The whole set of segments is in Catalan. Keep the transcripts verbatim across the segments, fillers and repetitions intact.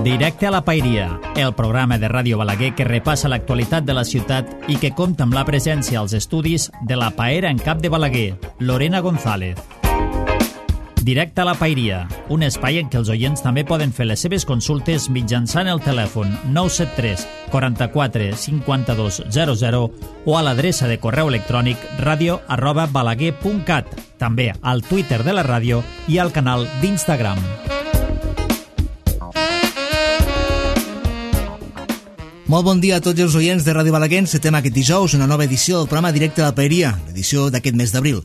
Directe a la Paeria, el programa de Ràdio Balaguer que repassa l'actualitat de la ciutat i que compta amb la presència als estudis de la paera en cap de Balaguer, Lorena González. Directe a la Paeria, un espai en què els oients també poden fer les seves consultes mitjançant el telèfon nou set tres, quaranta-quatre, cinquanta-dos, zero zero o a l'adreça de correu electrònic radio arroba balaguer punt cat, també al Twitter de la ràdio i al canal d'Instagram. Molt bon dia a tots els oients de Ràdio Balaguer. Encetem aquest dijous una nova edició del programa Directe a la Paeria, l'edició d'aquest mes d'abril.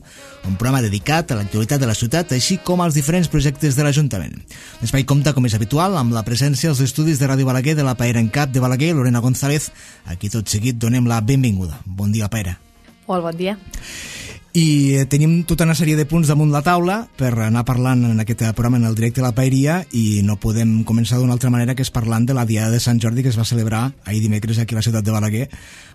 Un programa dedicat a l'actualitat de la ciutat, així com als diferents projectes de l'Ajuntament. L'espai compta, com és habitual, amb la presència als estudis de Ràdio Balaguer de la Paera en cap de Balaguer, Lorena González. Aquí tot seguit donem la benvinguda. Bon dia, Paera. Molt bon dia. I tenim tota una sèrie de punts damunt la taula per anar parlant en aquest programa en el Directe a la Paeria, i no podem començar d'una altra manera que és parlant de la Diada de Sant Jordi que es va celebrar ahir dimecres aquí a la ciutat de Balaguer.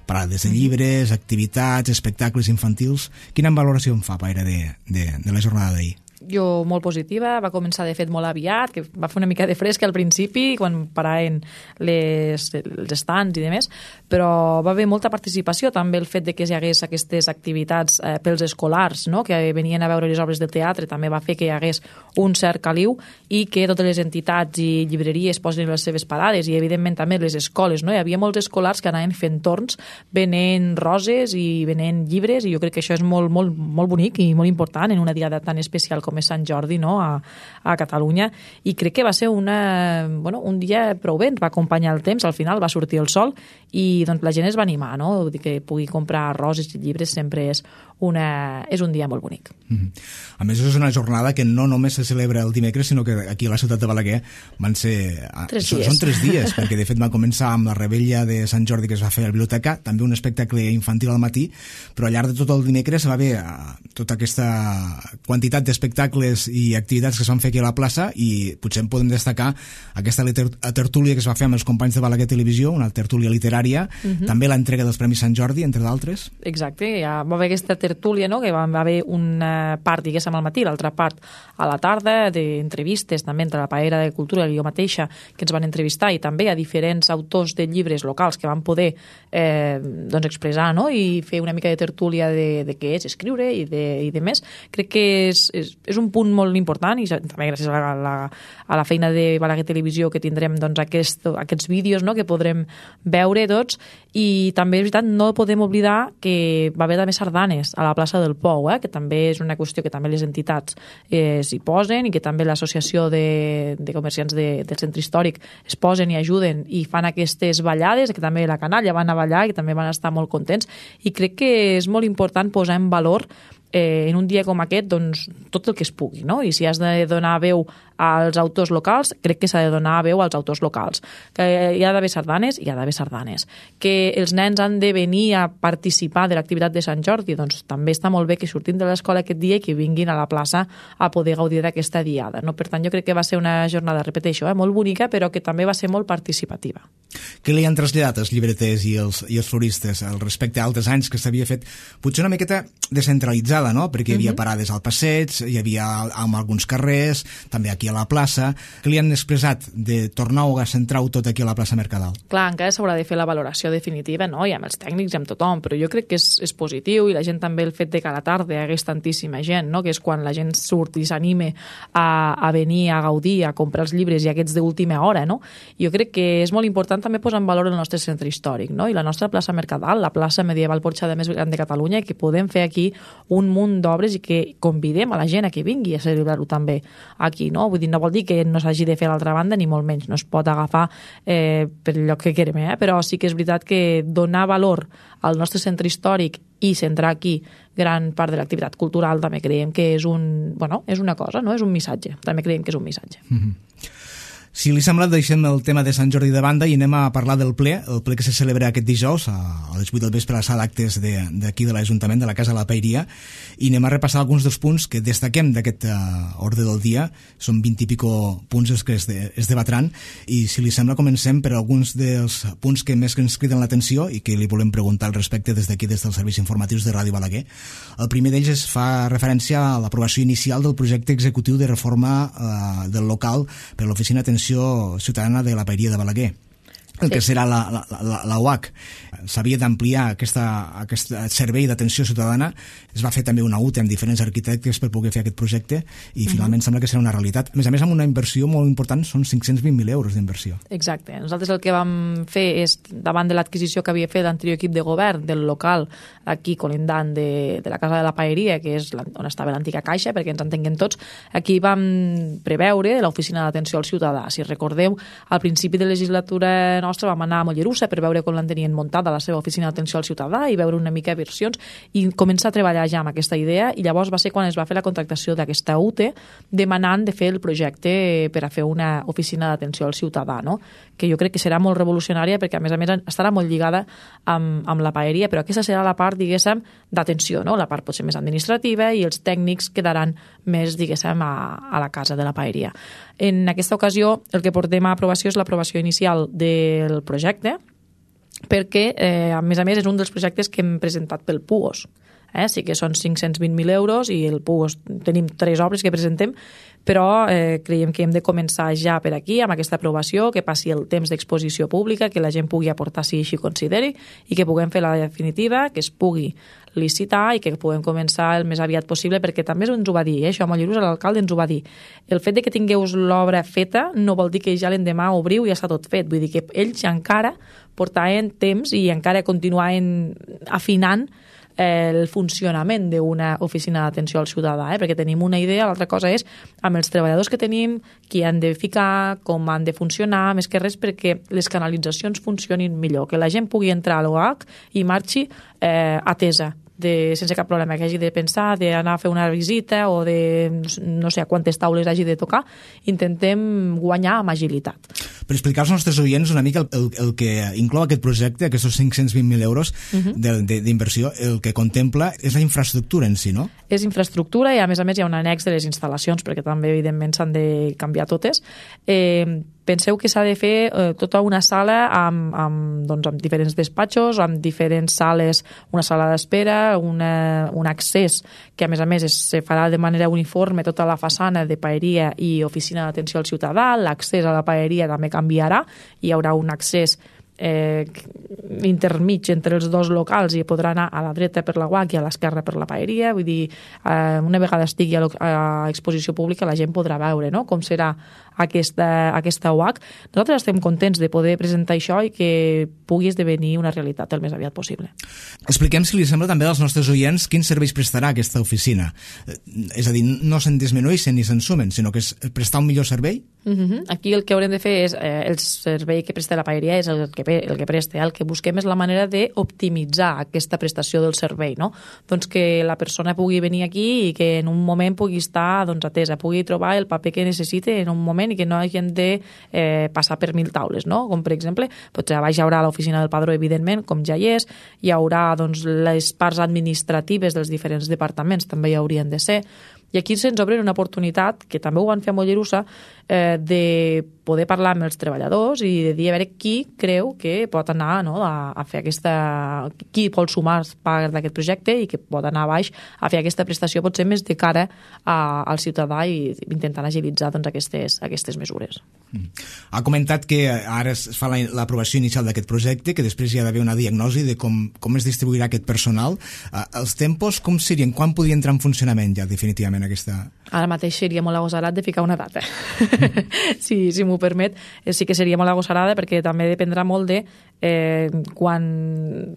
Parades de llibres, activitats, espectacles infantils. Quina valoració em fa, Paera, de, de, de la jornada d'ahir? Jo molt positiva, va començar de fet molt aviat, que va fer una mica de fresc al principi quan paraven les, els estants i demés, però va haver molta participació, també el fet de que hi hagués aquestes activitats eh, pels escolars, no?, que venien a veure les obres de teatre, també va fer que hi hagués un cert caliu i que totes les entitats i llibreries posin les seves parades, i evidentment també les escoles, no? Hi havia molts escolars que anaven fent torns, venent roses i venent llibres, i jo crec que això és molt, molt, molt bonic i molt important en una diada tan especial com com és Sant Jordi, no?, a, a Catalunya, i crec que va ser una, bueno, un dia prou bé, va acompanyar el temps, al final va sortir el sol i doncs, la gent es va animar, no?, vull dir que pugui comprar roses i llibres sempre és, una, és un dia molt bonic. Mm-hmm. A més, és una jornada que no només se celebra el dimecres, sinó que aquí a la ciutat de Balaguer van ser... Tres són, dies. Són tres dies, perquè de fet va començar amb la rebella de Sant Jordi que es va fer a la biblioteca, també un espectacle infantil al matí, però al llarg de tot el dimecres va haver tota aquesta quantitat d'espectacles i activitats que es van fer aquí a la plaça, i potser en podem destacar aquesta tertúlia que es va fer amb els companys de Balaguer Televisió, una tertúlia literària, uh-huh. també l'entrega dels Premis Sant Jordi, entre d'altres. Exacte, ja va haver aquesta tertúlia, no?, que va haver una part, diguéssim, al matí, l'altra part a la tarda, d'entrevistes també entre la Paera de Cultura i jo mateixa, que ens van entrevistar, i també a diferents autors de llibres locals que van poder eh, doncs expressar, no?, i fer una mica de tertúlia de, de què és escriure i de, i de més. Crec que és, és, és un punt molt important, i també gràcies a la, la, a la feina de Balaguer Televisió que tindrem doncs, aquest, aquests vídeos, no?, que podrem veure tots, i també és veritat, no podem oblidar que va haver també sardanes a la plaça del Pou, eh? Que també és una qüestió que també les entitats eh, s'hi posen, i que també l'associació de, de comerciants de, del centre històric es posen i ajuden i fan aquestes ballades, que també la canalla van a ballar i que també van estar molt contents, i crec que és molt important posar en valor Eh, en un dia com aquest, doncs, tot el que es pugui, no? I si has de donar veu als autors locals, crec que s'ha de donar veu als autors locals. Que hi ha d'haver sardanes, hi ha d'haver sardanes. Que els nens han de venir a participar de l'activitat de Sant Jordi, doncs també està molt bé que surtin de l'escola aquest dia i que vinguin a la plaça a poder gaudir d'aquesta diada, no? Per tant, jo crec que va ser una jornada, repeteixo, eh, molt bonica, però que també va ser molt participativa. Què li han traslladat els llibreters i els, i els floristes al respecte a altres anys que s'havia fet potser una miqueta descentralitzada, no? Perquè hi havia parades al passeig, hi havia en alguns carrers, també aquí a la plaça. Què li han expressat de tornar a centrar-ho tot aquí a la plaça Mercadal? Clar, encara s'haurà de fer la valoració definitiva, no?, i amb els tècnics i amb tothom, però jo crec que és, és positiu, i la gent també, el fet de que a la tarda hi hagués tantíssima gent, no?, que és quan la gent surt i s'anime a, a venir a gaudir, a comprar els llibres i aquests d'última hora, no? Jo crec que és molt important també posar en valor el nostre centre històric, no?, i la nostra plaça Mercadal, la plaça medieval porxada més gran de Catalunya, que podem fer aquí un munt d'obres i que convidem a la gent a que vingui a celebrar-ho també aquí, no? Vull dir, no vol dir que no s'hagi de fer a l'altra banda, ni molt menys, no es pot agafar eh, per el lloc que querem, eh? Però sí que és veritat que donar valor al nostre centre històric i centrar aquí gran part de l'activitat cultural també creiem que és un, bueno, és una cosa, no? És un missatge, també creiem que és un missatge. Mm-hmm. Si li sembla, deixem el tema de Sant Jordi de banda i anem a parlar del ple, el ple que se celebra aquest dijous a les vuit del vespre a la sala d'actes d'aquí de l'Ajuntament, de la Casa de la Paeria, i anem a repassar alguns dels punts que destaquem d'aquest uh, ordre del dia. Són vint i pico punts els que es, de, es debatran, i si li sembla comencem per alguns dels punts que més que ens criden l'atenció i que li volem preguntar al respecte des d'aquí, des dels serveis informatius de Ràdio Balaguer. El primer d'ells es fa referència a l'aprovació inicial del projecte executiu de reforma uh, del local per a l'Oficina d'Atenció Ciutadana de la Paeria de Balaguer, el que serà la, la, la, la U H C. S'havia d'ampliar aquesta, aquest servei d'atenció ciutadana. Es va fer també una U T E amb diferents arquitectes per poder fer aquest projecte i finalment uh-huh. sembla que serà una realitat. A més a més, amb una inversió molt important, són cinc-cents vint mil euros d'inversió. Exacte. Nosaltres el que vam fer és, davant de l'adquisició que havia fet l'anterior equip de govern del local aquí colindant de, de la Casa de la Paeria, que és on estava l'antiga caixa, perquè ens entenguem tots, aquí vam preveure l'oficina d'atenció al ciutadà. Si recordeu, al principi de legislatura nostra vam anar a Mollerussa per veure com l'han tenien muntada la seva oficina d'atenció al ciutadà i veure una mica versions i començar a treballar ja amb aquesta idea, i llavors va ser quan es va fer la contractació d'aquesta U T E demanant de fer el projecte per a fer una oficina d'atenció al ciutadà, no? Que jo crec que serà molt revolucionària perquè a més a més estarà molt lligada amb, amb la paeria, però aquesta serà la part, diguéssim, d'atenció, no? La part potser més administrativa, i els tècnics quedaran més, diguéssim, a, a la casa de la paeria. En aquesta ocasió el que portem a aprovació és l'aprovació inicial del projecte, perquè, eh, a més a més, és un dels projectes que hem presentat pel P U O S. Eh? Sí que són cinc-cents vint mil euros i el P U O S tenim tres obres que presentem, però eh, creiem que hem de començar ja per aquí, amb aquesta aprovació, que passi el temps d'exposició pública, que la gent pugui aportar si així consideri, i que puguem fer la definitiva, que es pugui licitar i que puguem començar el més aviat possible, perquè també ens ho va dir, eh? Això a Mollerussa l'alcalde ens ho va dir. El fet de que tingueu l'obra feta no vol dir que ja l'endemà obriu i ja està tot fet, vull dir que ells encara portaven temps i encara continuaven afinant el funcionament d'una oficina d'atenció al ciutadà, eh? Perquè tenim una idea, l'altra cosa és amb els treballadors que tenim, qui han de ficar, com han de funcionar, més que res perquè les canalitzacions funcionin millor, que la gent pugui entrar a l'O H i marxi eh, atesa, de, sense cap problema, que hagi de pensar, d'anar a fer una visita o de no sé a quantes taules hagi de tocar. Intentem guanyar amb agilitat. Per explicar als nostres oients una mica el, el, el que inclou aquest projecte, aquests cinc-cents vint mil euros uh-huh. d'inversió, el que contempla és la infraestructura en si, no? És infraestructura i a més a més hi ha un annex de les instal·lacions, perquè també evidentment s'han de canviar totes. Eh, penseu que s'ha de fer eh, tota una sala amb, amb, doncs, amb diferents despatxos, amb diferents sales, una sala d'espera, una, un accés que a més a més es farà de manera uniforme tota la façana de paeria i oficina d'atenció al ciutadà. L'accés a la paeria també canviarà, hi haurà un accés eh, intermig entre els dos locals i podrà anar a la dreta per la U H C i a l'esquerra per la paeria. Vull dir, eh, una vegada estigui a, a exposició pública la gent podrà veure, no?, com serà aquesta, aquesta U H C. Nosaltres estem contents de poder presentar això i que pugui esdevenir una realitat el més aviat possible. Expliquem, si li sembla, també als nostres oients quins serveis prestarà aquesta oficina. És a dir, no se'n disminueixen ni se'n sumen, sinó que és prestar un millor servei? Uh-huh. Aquí el que haurem de fer és, eh, el servei que presta la paeria és el que, el que presta, el que busquem és la manera d'optimitzar aquesta prestació del servei, no? Doncs que la persona pugui venir aquí i que en un moment pugui estar, doncs, atesa, pugui trobar el paper que necessite en un moment i que no hagin de eh, passar per mil taules, no? Com per exemple, potser a baix hi haurà l'oficina del padró, evidentment, com ja hi és, hi haurà doncs, les parts administratives dels diferents departaments, també hi haurien de ser. I aquí se'ns obre una oportunitat, que també ho van fer a Mollerussa, eh, de poder parlar amb els treballadors i de dir a veure qui creu que pot anar, no, a, a fer aquesta... qui vol sumar part d'aquest projecte i que pot anar a baix a fer aquesta prestació potser més de cara a, al ciutadà i intentant agilitzar doncs, aquestes, aquestes mesures. Mm. Ha comentat que ara es fa l'aprovació inicial d'aquest projecte, que després hi ha d'haver una diagnosi de com, com es distribuirà aquest personal. Uh, els tempos com serien? Quan podria entrar en funcionament ja definitivament aquesta... Ara mateix seria molt agosarat de ficar una data. si si m'ho permet, sí que seria molt agosarada perquè també dependrà molt de eh, quan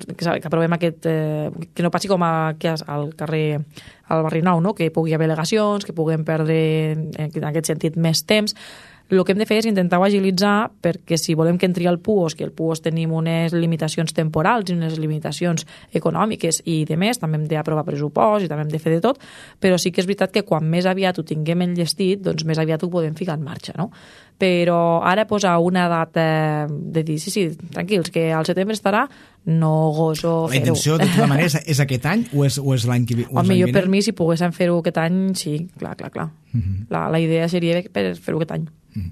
que, que aprovem aquest... Eh, que no passi com a, que al carrer al barri Nou, no? Que pugui haver al·legacions, que puguem perdre en aquest sentit més temps. El que hem de fer és intentar-ho agilitzar, perquè si volem que entri al P U O S, que el P U O S tenim unes limitacions temporals i unes limitacions econòmiques i de més, també hem d'aprovar pressupost i també hem de fer de tot, però sí que és veritat que quan més aviat ho tinguem enllestit, doncs més aviat ho podem ficar en marxa, no? Però ara posar una data de dir, sí, sí, tranquils, que al setembre estarà, no goso fer-ho. La intenció, de tota manera, és aquest any o és, o és l'any que ve? Home, jo per mi, si poguéssim fer-ho aquest any, sí, clar, clar, clar. Uh -huh. la, la idea seria per fer-ho aquest any. Mm.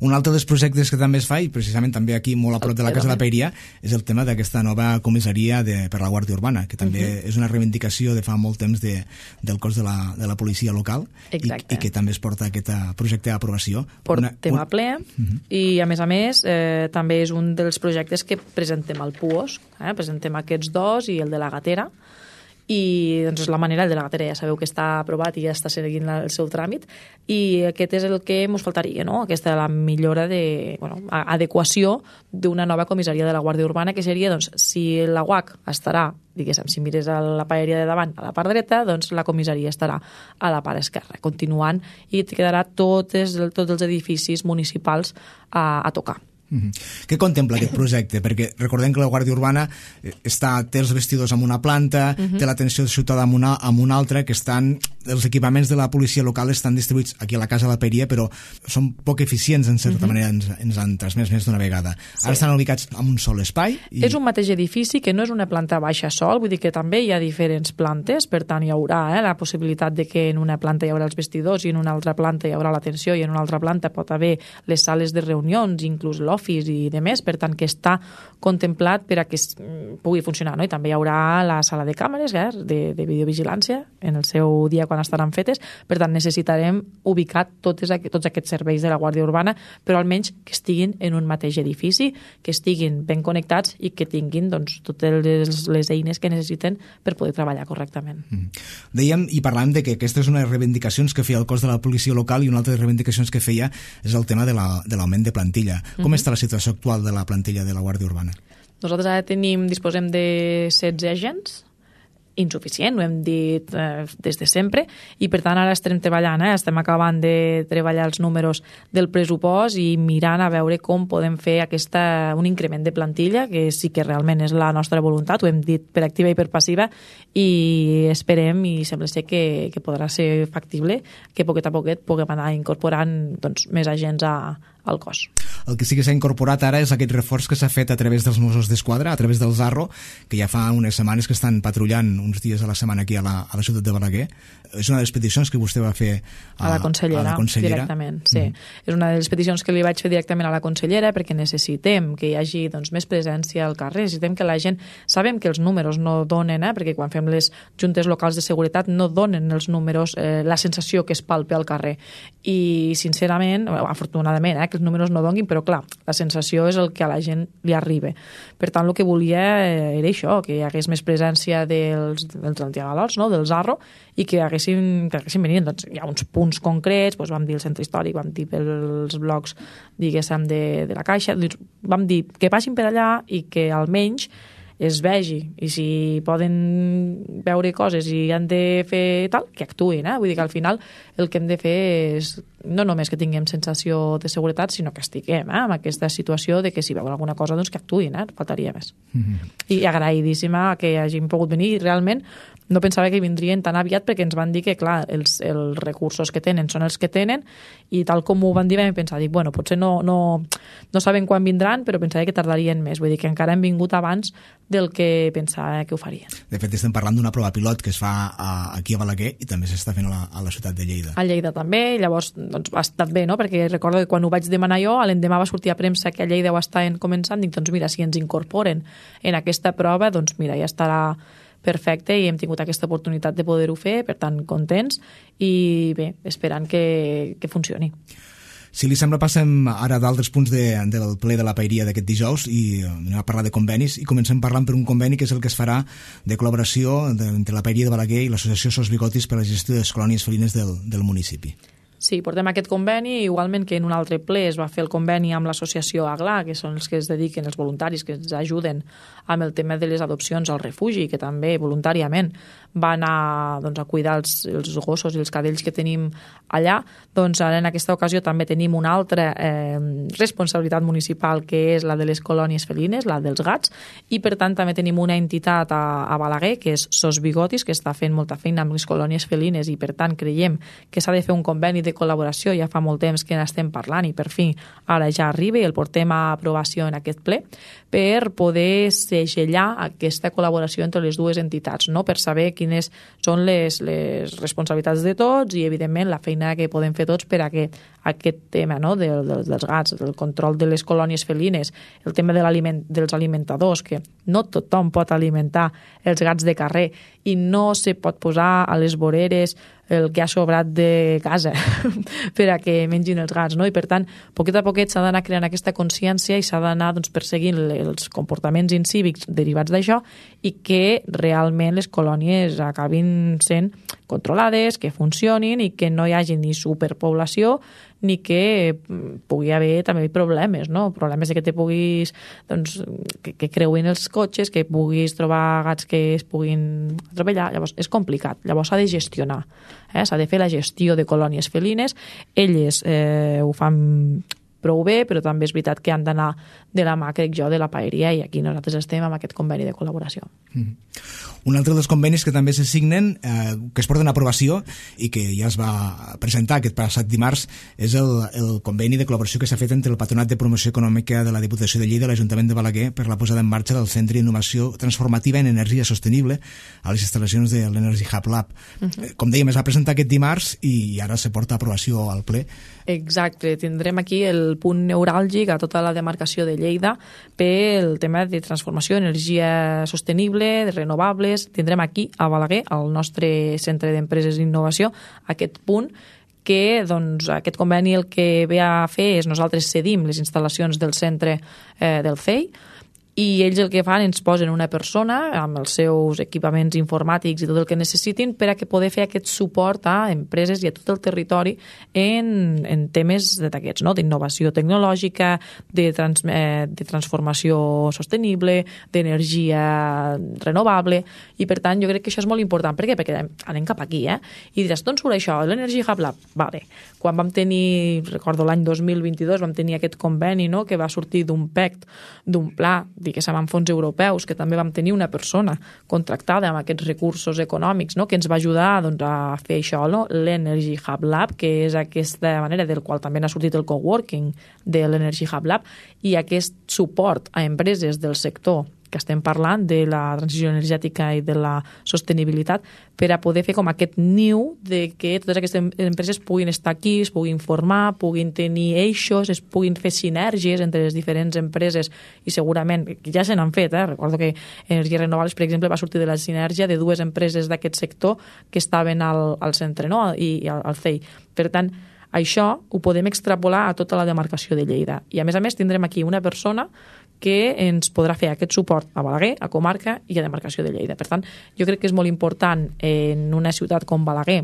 Un altre dels projectes que també es fa, i precisament també aquí molt a prop de la Casa de la Paeria, és el tema d'aquesta nova comissaria de, per la Guàrdia Urbana, que també uh-huh. és una reivindicació de fa molt temps de, del cos de la, de la policia local i, i que també es porta aquest projecte d'aprovació. Portem una, un... a ple uh-huh. i a més a més eh, també és un dels projectes que presentem al P U O S, eh? Presentem aquests dos i el de la Gatera, i doncs és la manera, el de la Gatera ja sabeu que està aprovat i ja està seguint el seu tràmit, i aquest és el que ens faltaria, no? Aquesta la millora de, bueno, adequació d'una nova comissaria de la Guàrdia Urbana, que seria, doncs, si la U A C estarà, diguéssim, si mires a la paeria de davant a la part dreta, doncs la comissaria estarà a la part esquerra, continuant, i et quedarà tots, tots els edificis municipals a, a tocar. Mm-hmm. Què contempla aquest projecte? Perquè recordem que la Guàrdia Urbana està, té els vestidors en una planta, mm-hmm. té l'atenció ciutadana en una, en una altra, que estan, els equipaments de la policia local estan distribuïts aquí a la Casa de la Paeria, però són poc eficients, en certa mm-hmm. manera ens, ens han transmès més d'una vegada. Sí. Ara estan ubicats en un sol espai. I... És un mateix edifici, que no és una planta baixa sol, vull dir que també hi ha diferents plantes, per tant hi haurà eh, la possibilitat de que en una planta hi haurà els vestidors i en una altra planta hi haurà l'atenció i en una altra planta pot haver les sales de reunions, inclús l'office i de més, per tant que està contemplat per a que pugui funcionar, no? I també hi haurà la sala de càmeres eh, de, de videovigilància en el seu dia quan estaran fetes, per tant necessitarem ubicar totes, tots aquests serveis de la Guàrdia Urbana, però almenys que estiguin en un mateix edifici, que estiguin ben connectats i que tinguin doncs, totes les, les eines que necessiten per poder treballar correctament. Mm. Dèiem i parlàvem de que aquesta és una de les reivindicacions que feia el cos de la policia local, i una altra de les reivindicacions que feia és el tema de l'augment de, de plantilla. Com mm-hmm. està la situació actual de la plantilla de la Guàrdia Urbana? Nosaltres ara tenim, disposem de setze agents, insuficient, ho hem dit eh, des de sempre, i per tant ara estem treballant, eh? estem acabant de treballar els números del pressupost i mirant a veure com podem fer aquesta, un increment de plantilla, que sí que realment és la nostra voluntat, ho hem dit per activa i per passiva, i esperem, i sembla ser que, que podrà ser factible, que poquet a poquet puguem anar incorporant doncs, més agents a, al cos. El que sí que s'ha incorporat ara és aquest reforç que s'ha fet a través dels Mossos d'Esquadra, a través del Zarro, que ja fa unes setmanes que estan patrullant uns dies a la setmana aquí a la, a la ciutat de Balaguer. És una de les peticions que vostè va fer a, a, la, consellera, a la consellera. Directament, sí. Mm. És una de les peticions que li vaig fer directament a la consellera, perquè necessitem que hi hagi doncs, més presència al carrer, necessitem que la gent... Sabem que els números no donen, eh, perquè quan fem les juntes locals de seguretat no donen els números, eh, la sensació que es palpa al carrer. I, sincerament, afortunadament, eh, que els números no donin, però clar, la sensació és el que a la gent li arriba. Per tant, el que volia era això, que hi hagués més presència dels, dels antiavalots, no? del Zarro, i que haguessin, que haguessin venit. Doncs, hi ha uns punts concrets, doncs vam dir el centre històric, vam dir pels blocs, diguéssim, de, de la Caixa, doncs vam dir que passin per allà i que almenys es vegi, i si poden veure coses i han de fer tal, que actuïn, eh? Vull dir que al final el que hem de fer és no només que tinguem sensació de seguretat, sinó que estiguem eh? en aquesta situació de que si veuen alguna cosa, doncs que actuïn, eh? Faltaria més. Mm-hmm. I agraïdíssima que hagin pogut venir, i realment no pensava que vindrien tan aviat, perquè ens van dir que, clar, els, els recursos que tenen són els que tenen, i tal com ho van dir vam pensar, dic, bueno, potser no, no, no saben quan vindran, però pensava que tardarien més, vull dir que encara han vingut abans del que pensava que ho farien. De fet, estem parlant d'una prova pilot que es fa a, aquí a Balaguer i també s'està fent a la, a la ciutat de Lleida. A Lleida també, i llavors doncs, ha estat bé, no? Perquè recordo que quan ho vaig demanar jo, l'endemà va sortir a premsa que a Lleida ho estaven començant, dic, doncs mira, si ens incorporen en aquesta prova, doncs mira, ja estarà perfecte, i hem tingut aquesta oportunitat de poder-ho fer, per tant, contents, i bé, esperant que, que funcioni. Si li sembla, passem ara d'altres punts de, del ple de la Paeria d'aquest dijous i anem a parlar de convenis, i comencem parlant per un conveni que és el que es farà de col·laboració de, entre la Paeria de Balaguer i l'Associació Sos Bigotis per a la gestió de les colònies felines del, del municipi. Sí, portem aquest conveni, igualment que en un altre ple es va fer el conveni amb l'associació A G L A, que són els que es dediquen, els voluntaris que ens ajuden amb el tema de les adopcions al refugi, que també voluntàriament van a, doncs, a cuidar els, els gossos i els cadells que tenim allà. Doncs ara en aquesta ocasió també tenim una altra eh, responsabilitat municipal, que és la de les colònies felines, la dels gats, i per tant també tenim una entitat a, a Balaguer, que és Sos Bigotis, que està fent molta feina amb les colònies felines, i per tant creiem que s'ha de fer un conveni de col·laboració. Ja fa molt temps que n'estem parlant i per fi ara ja arriba i el portem a aprovació en aquest ple per poder segellar aquesta col·laboració entre les dues entitats, no? Per saber quines són les, les responsabilitats de tots i, evidentment, la feina que podem fer tots per a que aquest tema, no? de, de, dels gats, el control de les colònies felines, el tema de l'aliment, dels alimentadors, que no tothom pot alimentar els gats de carrer i no se pot posar a les voreres el que ha sobrat de casa per a que mengin els gats, no? I per tant, poquet a poquet s'ha d'anar creant aquesta consciència i s'ha d'anar, doncs, perseguint els comportaments incívics derivats d'això i que realment les colònies acabin sent controlades, que funcionin i que no hi hagi ni superpoblació ni que pugui haver també problemes, no? Problemes de que te puguis, doncs, que, que creuin els cotxes, que puguis trobar gats que es puguin atropellar. Llavors, és complicat. Llavors s'ha de gestionar. Eh? S'ha de fer la gestió de colònies felines. Elles eh, ho fan prou bé, però també és veritat que han d'anar de la mà, crec jo, de la paeria, i aquí nosaltres estem amb aquest conveni de col·laboració. Mm. Un altre dels convenis que també se signen, eh, que es porten a aprovació i que ja es va presentar aquest passat dimarts, és el, el conveni de col·laboració que s'ha fet entre el Patronat de Promoció Econòmica de la Diputació de Lleida i l'Ajuntament de Balaguer per la posada en marxa del Centre d'Innovació Transformativa en Energia Sostenible a les instal·lacions de l'Energy Hub Lab. Uh-huh. Com dèiem, es va presentar aquest dimarts i ara se porta a aprovació al ple. Exacte, tindrem aquí el punt neuràlgic a tota la demarcació de Lleida pel tema de transformació, energia sostenible, de renovables. Tindrem aquí a Balaguer, al nostre centre d'empreses d'innovació, aquest punt que, doncs, aquest conveni el que ve a fer és nosaltres cedim les instal·lacions del centre eh, del C E I, i ells el que fan, ens posen una persona amb els seus equipaments informàtics i tot el que necessitin per a que poder fer aquest suport a empreses i a tot el territori en, en temes d'aquests, no? D'innovació tecnològica, de, trans, eh, de transformació sostenible, d'energia renovable, i per tant jo crec que això és molt important. Per què? Perquè anem cap aquí, eh? I diràs, d'on surt això? L'Energy Hub Lab? Vale. Quan vam tenir, recordo l'any dos mil vint-i-dos, vam tenir aquest conveni, no?, que va sortir d'un P E C T, d'un pla, diguéssim, amb fons europeus, que també vam tenir una persona contractada amb aquests recursos econòmics, no?, que ens va ajudar, doncs, a fer això, no?, l'Energy Hub Lab, que és aquesta manera del qual també n'ha sortit el coworking de l'Energy Hub Lab, i aquest suport a empreses del sector que estem parlant de la transició energètica i de la sostenibilitat, per a poder fer com aquest niu de que totes aquestes empreses puguin estar aquí, es puguin formar, puguin tenir eixos, es puguin fer sinergies entre les diferents empreses, i segurament ja se n'han fet, eh? Recordo que Energies Renovables, per exemple, va sortir de la sinergia de dues empreses d'aquest sector que estaven al, al centre, no?, i, i al, al C E I. Per tant, això ho podem extrapolar a tota la demarcació de Lleida. I, a més a més, tindrem aquí una persona que ens podrà fer aquest suport a Balaguer, a comarca i a demarcació de Lleida. Per tant, jo crec que és molt important en una ciutat com Balaguer,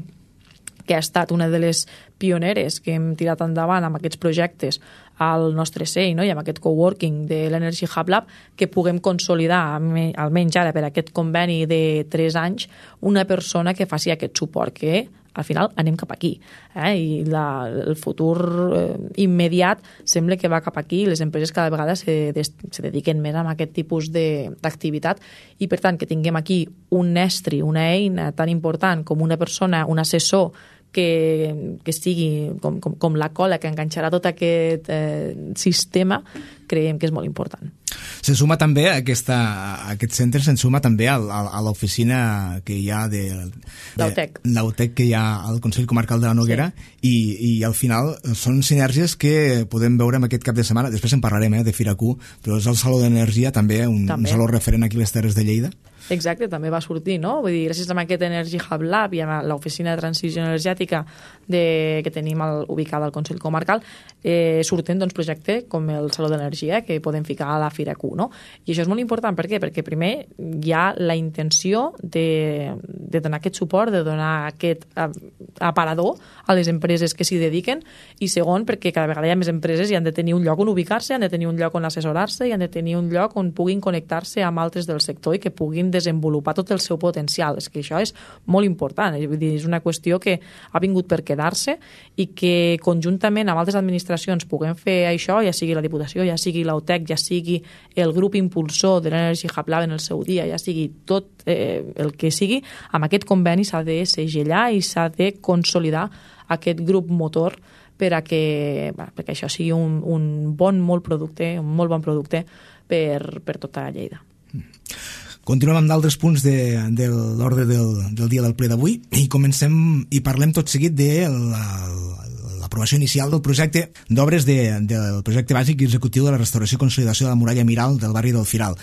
que ha estat una de les pioneres que hem tirat endavant amb aquests projectes al nostre C E I, no?, i amb aquest coworking de l'Energy Hub Lab, que puguem consolidar, almenys ara per aquest conveni de tres anys, una persona que faci aquest suport, que al final anem cap aquí, eh? I la, el futur eh, immediat sembla que va cap aquí, les empreses cada vegada se, des, se dediquen més a aquest tipus d'activitat, i per tant que tinguem aquí un estri, una eina tan important com una persona, un assessor que, que sigui com, com, com la cola que enganxarà tot aquest eh, sistema, creiem que és molt important. Se suma també a, aquesta, a aquest centre, se'n suma també a, a, a l'oficina que hi ha de, de l'Autec que hi ha al Consell Comarcal de la Noguera, sí. i, i al final són sinergies que podem veure en aquest cap de setmana. Després en parlarem, eh, de Firacu, però és el Saló d'Energia també, un, també. un saló referent aquí a les Terres de Lleida. Exacte, també va sortir, no? Vull dir, gràcies a aquest Energy Hub Lab i a l'oficina de transició energètica de, que tenim al, ubicada al Consell Comarcal, eh, surten, doncs, projectes com el Saló d'Energia, que podem ficar a la Fira primera Q, no? I això és molt important, per què? Perquè primer hi ha la intenció de, de donar aquest suport, de donar aquest aparador a les empreses que s'hi dediquen, i segon, perquè cada vegada hi ha més empreses i han de tenir un lloc on ubicar-se, han de tenir un lloc on assessorar-se i han de tenir un lloc on puguin connectar-se amb altres del sector i que puguin desenvolupar tot el seu potencial. És que això és molt important, vull dir, és una qüestió que ha vingut per quedar-se i que conjuntament amb altres administracions puguem fer això, ja sigui la Diputació, ja sigui l'A U T E C, ja sigui el grup impulsor de l'Energy Hub Lab en el seu dia, ja sigui tot eh, el que sigui, amb aquest conveni s'ha de segellar i s'ha de consolidar aquest grup motor per a que, perquè això sigui un, un bon molt producte, un molt bon producte per, per tota Lleida. Continuem amb d'altres punts de, de l'ordre del, del dia del ple d'avui i comencem i parlem tot seguit de la, l'aprovació inicial del projecte d'obres de, del projecte bàsic i executiu de la restauració i consolidació de la muralla Miral del barri del Firal.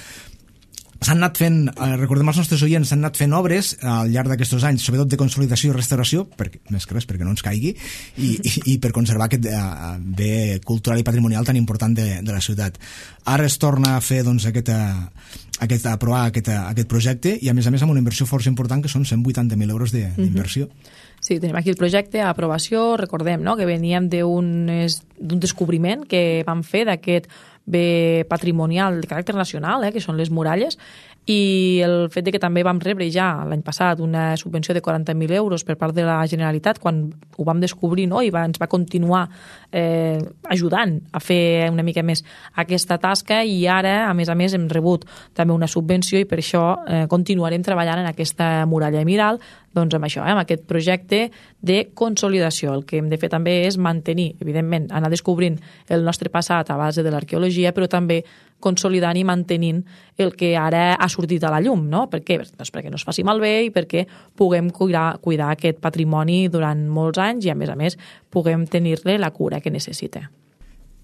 S'han anat fent, recordem als nostres oients, s'han anat fent obres al llarg d'aquests anys, sobretot de consolidació i restauració, perquè, més que res perquè no ens caigui, i, i, i per conservar aquest uh, bé cultural i patrimonial tan important de, de la ciutat. Ara es torna a fer doncs, aquest, aquest, a aprovar aquest, aquest projecte i a més a més amb una inversió força important que són cent vuitanta mil euros de, d'inversió. Mm-hmm. Sí, tenim aquí el projecte a aprovació, recordem no? que veníem d'un descobriment que vam fer d'aquest bé patrimonial de caràcter nacional, eh, que són les muralles, i el fet de que també vam rebre ja l'any passat una subvenció de quaranta mil euros per part de la Generalitat quan ho vam descobrir, no? I va, ens va continuar eh, ajudant a fer una mica més aquesta tasca, i ara, a més a més, hem rebut també una subvenció i per això eh, continuarem treballant en aquesta muralla Miral, doncs amb això, eh, amb aquest projecte de consolidació. El que hem de fer també és mantenir, evidentment, anar descobrint el nostre passat a base de l'arqueologia, però també consolidant i mantenint el que ara ha sortit a la llum, no? Per què? Doncs perquè no es faci malbé i perquè puguem cuidar, cuidar aquest patrimoni durant molts anys i, a més a més, puguem tenir-li la cura que necessita.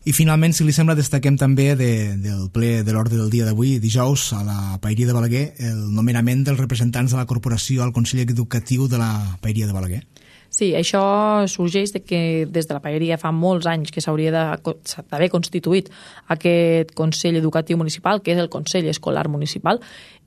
I finalment, si li sembla, destaquem també de, del ple de l'ordre del dia d'avui, dijous, a la Paeria de Balaguer, el nomenament dels representants de la corporació al Consell Educatiu de la Paeria de Balaguer. Sí, això sorgeix de que des de la Paeria fa molts anys que s'hauria d'haver constituït aquest Consell Educatiu Municipal, que és el Consell Escolar Municipal,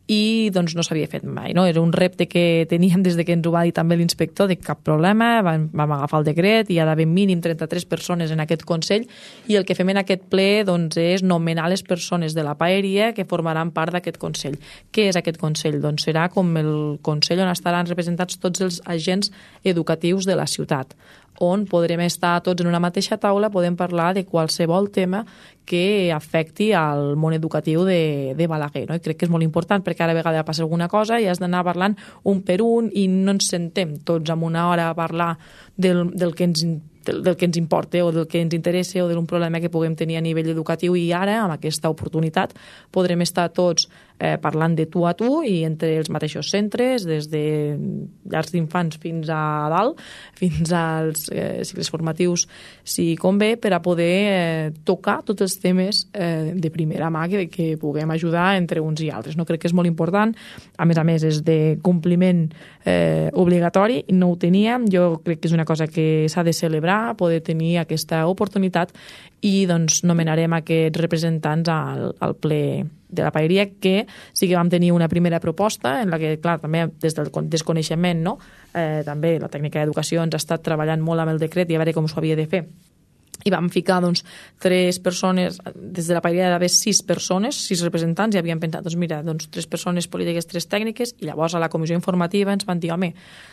i doncs no s'havia fet mai, no? Era un repte que teníem des de que ens ho va dir també l'inspector, de cap problema, vam, vam agafar el decret i hi ha d'haver mínim trenta-tres persones en aquest Consell, i el que fem en aquest ple doncs, és nomenar les persones de la Paeria que formaran part d'aquest Consell. Què és aquest Consell? Doncs serà com el Consell on estaran representats tots els agents educatius de la ciutat, on podrem estar tots en una mateixa taula, podem parlar de qualsevol tema que afecti al món educatiu de, de Balaguer. No? I crec que és molt important perquè cada vegada passa alguna cosa i has d'anar parlant un per un i no ens sentem tots en una hora a parlar del, del que ens del, del que ens importa o del que ens interessa o d'un problema que puguem tenir a nivell educatiu, i ara, amb aquesta oportunitat, podrem estar tots eh, parlant de tu a tu i entre els mateixos centres, des de llars d'infants fins a dalt, fins als eh, cicles formatius, si convé, per a poder eh, tocar tots els temes eh, de primera mà que, que puguem ajudar entre uns i altres. No crec que és molt important, a més a més és de compliment eh, obligatori, no ho teníem, jo crec que és una cosa que s'ha de celebrar, poder tenir aquesta oportunitat, i doncs nomenarem aquests representants al, al ple de la Paeria, que sí que vam tenir una primera proposta en la que, clar, també des del desconeixement, no? eh, també la tècnica d'educació ens ha estat treballant molt amb el decret i a veure com s'ho havia de fer. I vam ficar doncs, tres persones, des de la Paeria hi ha d'haver sis persones, sis representants, i havíem pensat, doncs mira, doncs, tres persones polítiques, tres tècniques, i llavors a la comissió informativa ens van dir, home,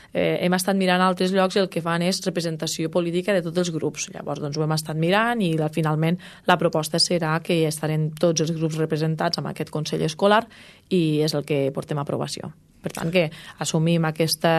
eh, hem estat mirant a altres llocs i el que fan és representació política de tots els grups. Llavors doncs, ho hem estat mirant i la, finalment la proposta serà que estarem tots els grups representats amb aquest Consell Escolar, i és el que portem a aprovació. Per tant, que assumim aquesta,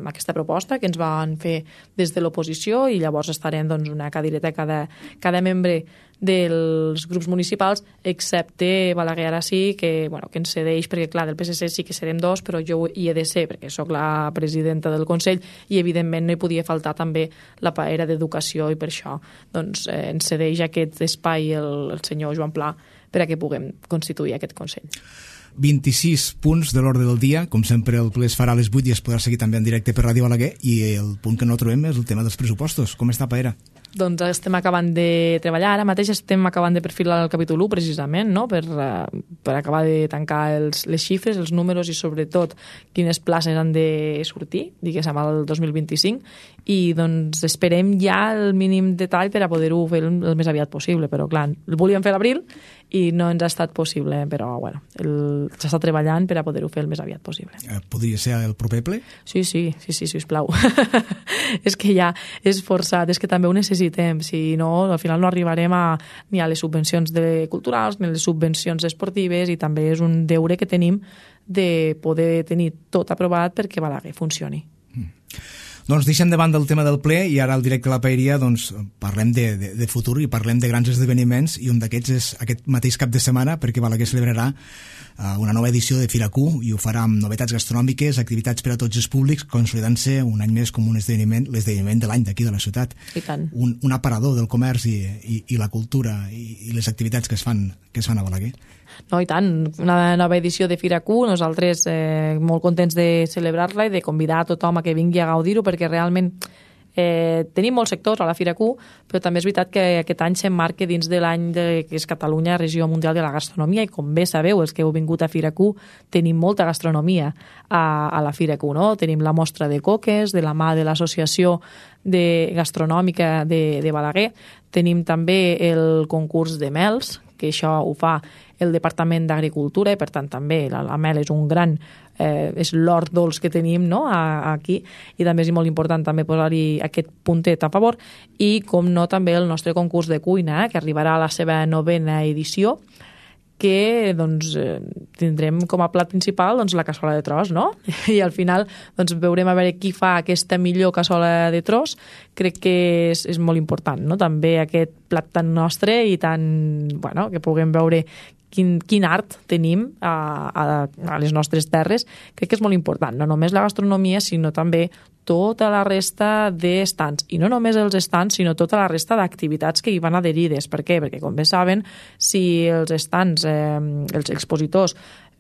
aquesta proposta que ens van fer des de l'oposició, i llavors estarem doncs, una cadireta cada, cada membre dels grups municipals, excepte Balaguer ara sí, que, bueno, que ens cedeix, perquè clar, del P S C sí que serem dos, però jo hi he de ser, perquè sóc la presidenta del Consell, i evidentment no hi podia faltar també la paera d'Educació, i per això doncs, eh, ens cedeix aquest espai el, el senyor Joan Pla per a que puguem constituir aquest Consell. vint-i-sis punts de l'ordre del dia, com sempre el ple es farà a les vuit i es podrà seguir també en directe per Ràdio Balaguer, i el punt que no trobem és el tema dels pressupostos. Com està, Paera? doncs estem acabant de treballar, ara mateix estem acabant de perfilar el capítol u precisament, no? per, uh, per acabar de tancar els, les xifres, els números i sobretot quines places han de sortir, diguéssim, al dos mil vint-i-cinc, i doncs esperem ja el mínim detall per a poder-ho fer el, el més aviat possible, però clar, el volíem fer a l'abril i no ens ha estat possible, però bueno, s'està treballant per a poder-ho fer el més aviat possible. Eh, podria ser el proper ple? Sí, sí, sí, sí, sisplau. És que ja és forçat, és que també ho necessitem, si no, al final no arribarem a, ni a les subvencions de culturals ni a les subvencions esportives, i també és un deure que tenim de poder tenir tot aprovat perquè Balaguer funcioni. Mm. Doncs deixem de banda el tema del ple i ara al directe a la Paeria doncs, parlem de, de, de futur i parlem de grans esdeveniments, i un d'aquests és aquest mateix cap de setmana, perquè Balaguer celebrarà uh, una nova edició de Fira Q, i ho farà amb novetats gastronòmiques, activitats per a tots els públics, consolidant-se un any més com un esdeveniment, l'esdeveniment de l'any d'aquí de la ciutat. I tant. Un, un aparador del comerç i, i, i la cultura i, i les activitats que es fan, que es fan a Balaguer. No, i tant, una nova edició de Fira Q, nosaltres eh, molt contents de celebrar-la i de convidar a tothom a que vingui a gaudir-ho, perquè realment eh, tenim molts sectors a la Fira Q, però també és veritat que aquest any s'emmarca dins de l'any de, que és Catalunya, Regió Mundial de la Gastronomia, i com bé sabeu, els que heu vingut a Fira Q, tenim molta gastronomia a, a la Fira Q, no? Tenim la mostra de coques, de la mà de l'Associació de Gastronòmica de, de Balaguer, tenim també el concurs de mels, que això ho fa el Departament d'Agricultura, i per tant també la, la mel és un gran, eh, és l'hort dolç que tenim, no? a, a aquí, i també és molt important també posar-hi aquest puntet a favor, i com no també el nostre concurs de cuina, eh, que arribarà a la seva novena edició, que doncs, eh, tindrem com a plat principal doncs, la cassola de tros, no? I al final doncs, veurem a veure qui fa aquesta millor cassola de tros. Crec que és, és molt important, no? També aquest plat tan nostre i tan, bueno, que puguem veure quin, quin art tenim a, a, a les nostres terres. Crec que és molt important, no només la gastronomia, sinó també tota la resta d'estants, i no només els estants, sinó tota la resta d'activitats que hi van adherides. Per què? Perquè, com bé saben, si els estants, eh, els expositors,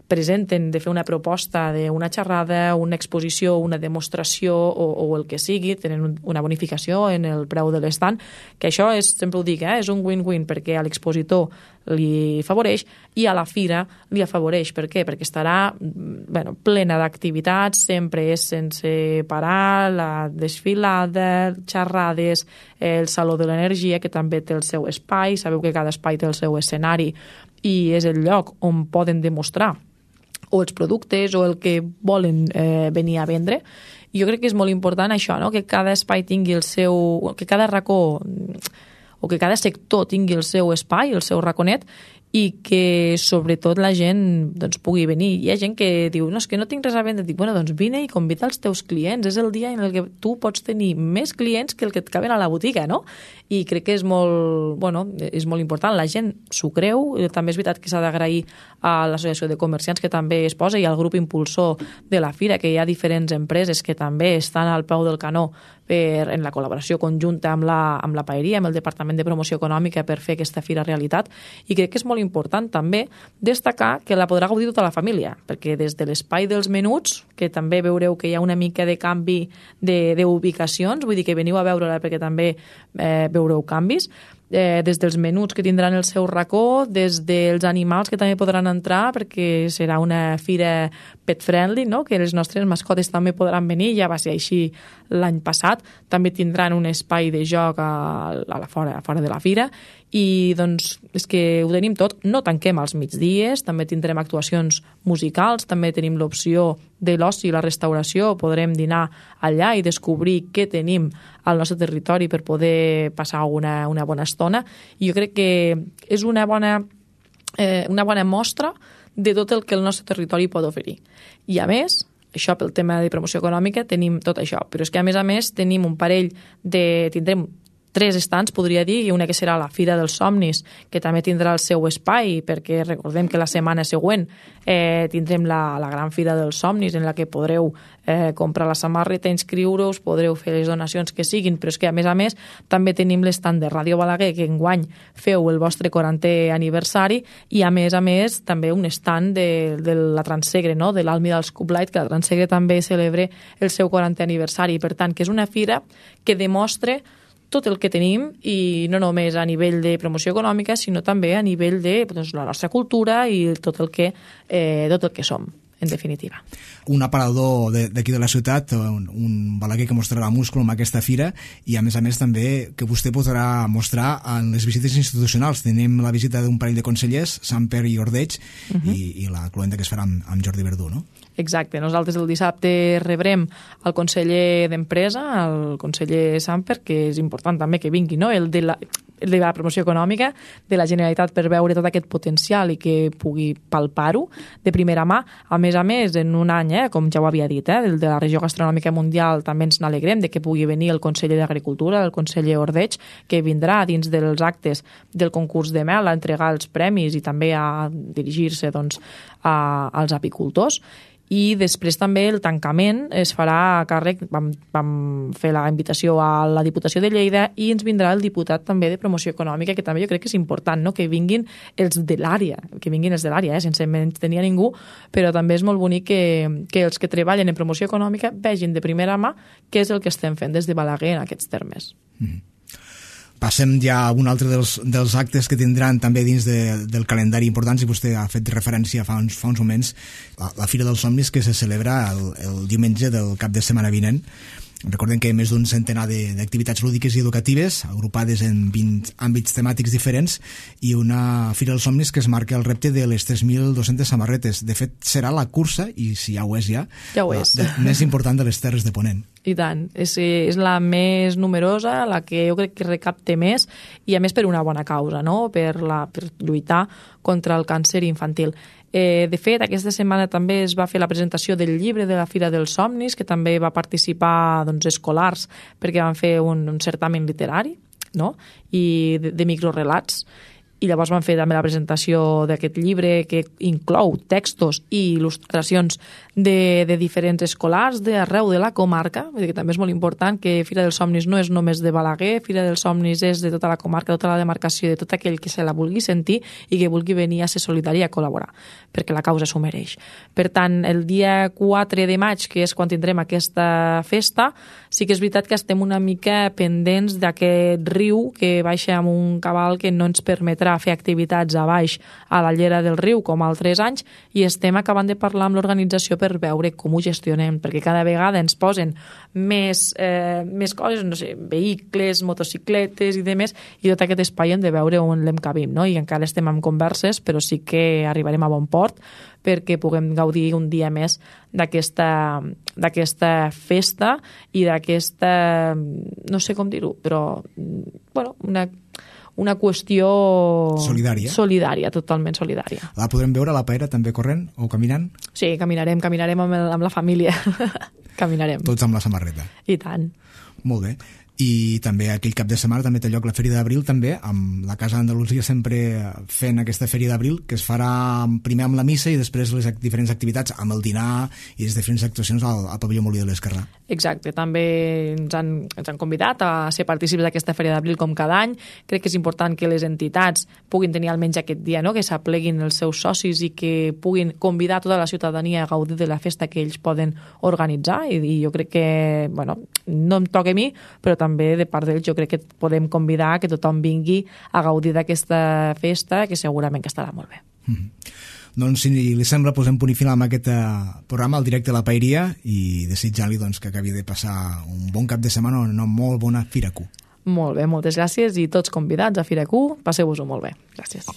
presenten de fer una proposta d'una xerrada, una exposició, una demostració o, o el que sigui, tenen una bonificació en el preu de l'estant, que això és, sempre ho dic, eh, és un win-win, perquè a l'expositor li favoreix i a la fira li afavoreix. Per què? Perquè estarà bueno, plena d'activitats, sempre és sense parar, la desfilada, xerrades, el Saló de l'Energia, que també té el seu espai, sabeu que cada espai té el seu escenari i és el lloc on poden demostrar o els productes o el que volen eh, venir a vendre. I jo crec que és molt important això, no? Que cada espai tingui el seu... que cada racó o que cada sector tingui el seu espai, el seu raconet, i que sobretot la gent doncs, pugui venir. Hi ha gent que diu, no, és que no tinc res a vendre. Dic, bueno, doncs vine i convida els teus clients. És el dia en el que tu pots tenir més clients que el que et caben a la botiga, no? I crec que és molt, bueno, és molt important. La gent s'ho creu. També és veritat que s'ha d'agrair a l'Associació de Comerciants, que també es posa, i al grup impulsor de la fira, que hi ha diferents empreses que també estan al peu del canó per, en la col·laboració conjunta amb la, amb la Paeria, amb el Departament de Promoció Econòmica, per fer aquesta fira realitat. I crec que és molt important també destacar que la podrà gaudir tota la família, perquè des de l'espai dels menuts, que també veureu que hi ha una mica de canvi d'ubicacions, vull dir que veniu a veure-la perquè també eh, veureu canvis, eh, des dels menuts que tindran el seu racó, des dels animals que també podran entrar, perquè serà una fira pet friendly, no? Que les nostres mascotes també podran venir, ja va ser així l'any passat, també tindran un espai de joc a, a la fora, a fora de la fira, i doncs és que ho tenim tot. No tanquem als migdies, també tindrem actuacions musicals, també tenim l'opció de l'oci i la restauració, podrem dinar allà i descobrir què tenim al nostre territori per poder passar una, una bona estona. I jo crec que és una bona, eh, una bona mostra de tot el que el nostre territori pot oferir. I a més, això pel tema de promoció econòmica tenim tot això, però és que a més a més tenim un parell de... tindrem tres estants, podria dir, i una que serà la Fira dels Somnis, que també tindrà el seu espai, perquè recordem que la setmana següent eh, tindrem la, la gran Fira dels Somnis, en la que podreu eh, comprar la samarreta, inscriure-us, podreu fer les donacions que siguin, però és que a més a més també tenim l'estand de Ràdio Balaguer, que enguany feu el vostre quarantè aniversari, i a més a més també un estand de, de la Transsegre, no? De l'Almi dels Cublight, que la Transsegre també celebra el seu quarantè aniversari. Per tant, que és una fira que demostra tot el que tenim, i no només a nivell de promoció econòmica, sinó també a nivell de doncs, la nostra cultura i tot el que, eh, tot el que som, en definitiva. Un aparador d'aquí de la ciutat, un, un Balaguer que mostrarà múscul amb aquesta fira, i a més a més també que vostè podrà mostrar en les visites institucionals. Tenim la visita d'un parell de consellers, Samper i Ordeig, uh -huh. i, i la cluenda que es farà amb, amb Jordi Verdú, no? Exacte. Nosaltres el dissabte rebrem el conseller d'Empresa, el conseller Samper, que és important també que vingui, no? el de la de la promoció econòmica de la Generalitat, per veure tot aquest potencial i que pugui palpar-ho de primera mà. A més a més, en un any, eh, com ja ho havia dit, eh, el de la regió gastronòmica mundial, també ens n'alegrem de que pugui venir el conseller d'Agricultura, el conseller Ordeig, que vindrà dins dels actes del concurs de mel a entregar els premis i també a dirigir-se doncs, a, als apicultors. I després també el tancament es farà a càrrec, vam, vam fer la invitació a la Diputació de Lleida, i ens vindrà el diputat també de Promoció Econòmica, que també jo crec que és important, no? Que vinguin els de l'àrea, que vinguin els de l'àrea, eh? Sense menystenir a ningú, però també és molt bonic que, que els que treballen en promoció econòmica vegin de primera mà què és el que estem fent des de Balaguer en aquests termes. Mm-hmm. Passem ja a un altre dels, dels actes que tindran també dins de, del calendari important, si vostè ha fet referència fa uns, fa uns moments, la, la Fira dels Somnis, que se celebra el, el diumenge del cap de setmana vinent. Recordem que hi ha més d'un centenar d'activitats lúdiques i educatives, agrupades en vint àmbits temàtics diferents, i una Fira dels Somnis que es marca el repte de les tres mil dues-centes samarretes. De fet, serà la cursa, i si ja ho és ja, ja ho és. La, més important de les Terres de Ponent. I tant, és, és la més numerosa, la que jo crec que recapte més, i a més per una bona causa, no? per, la, per lluitar contra el càncer infantil. Eh, de fet, aquesta setmana també es va fer la presentació del llibre de la Fira dels Somnis, que també va participar doncs, escolars, perquè van fer un, un certamen literari, no? I de, de microrelats, i llavors van fer també la presentació d'aquest llibre, que inclou textos i il·lustracions de, de diferents escolars d'arreu de la comarca. Vull dir que també és molt important que Fira dels Somnis no és només de Balaguer, Fira dels Somnis és de tota la comarca, tota la demarcació, de tot aquell que se la vulgui sentir i que vulgui venir a ser solidari i a col·laborar, perquè la causa s'ho mereix. Per tant, el dia quatre de maig, que és quan tindrem aquesta festa, sí que és veritat que estem una mica pendents d'aquest riu que baixa amb un cabal que no ens permetrà fer activitats a baix a la llera del riu com altres anys, i estem acabant de parlar amb l'organització per veure com ho gestionem, perquè cada vegada ens posen més, eh, més coses, no sé, vehicles, motocicletes i demés, i tot aquest espai hem de veure on l'encabim, no? I encara estem en converses, però sí que arribarem a bon port perquè puguem gaudir un dia més d'aquesta d'aquesta festa i d'aquesta, no sé com dir-ho, però bueno, una una qüestió solidària. solidària, totalment solidària. La podrem veure a la Paera també corrent o caminant? Sí, caminarem, caminarem amb, el, amb la família. Caminarem. Tots amb la samarreta. I tant. Molt bé. I també aquell cap de setmana també té lloc la Fèria d'Abril, també, amb la Casa d'Andalusia sempre fent aquesta Fèria d'Abril, que es farà primer amb la missa i després les diferents activitats, amb el dinar i les diferents actuacions al, al pavelló Molí de l'Esquerrà. Exacte, també ens han, ens han convidat a ser partícips d'aquesta Fèria d'Abril com cada any. Crec que és important que les entitats puguin tenir almenys aquest dia, no? Que s'apleguin els seus socis i que puguin convidar tota la ciutadania a gaudir de la festa que ells poden organitzar, i, i jo crec que, bueno, no em toca a mi, però també de part d'ells jo crec que podem convidar que tothom vingui a gaudir d'aquesta festa, que segurament que estarà molt bé. Mm-hmm. Doncs si li sembla, posem punt i final amb aquest programa, el directe a la Paeria, i desitjar-li doncs, que acabi de passar un bon cap de setmana, una molt bona Fira Q. Molt bé, moltes gràcies, i tots convidats a Fira Q, passeu-vos-ho molt bé. Gràcies.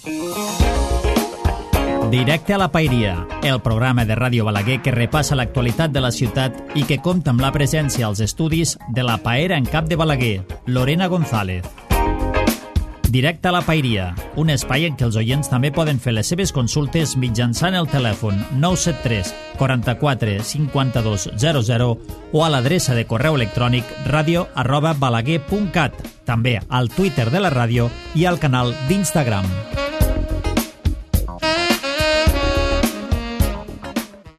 Directe a la Paeria, el programa de Ràdio Balaguer que repassa l'actualitat de la ciutat i que compta amb la presència als estudis de la Paera en cap de Balaguer, Lorena González. Directe a la Paeria, un espai en què els oients també poden fer les seves consultes mitjançant el telèfon nou set tres, quaranta-quatre, cinquanta-dos, zero zero o a l'adreça de correu electrònic radio arroba balaguer punt cat, també al Twitter de la ràdio i al canal d'Instagram.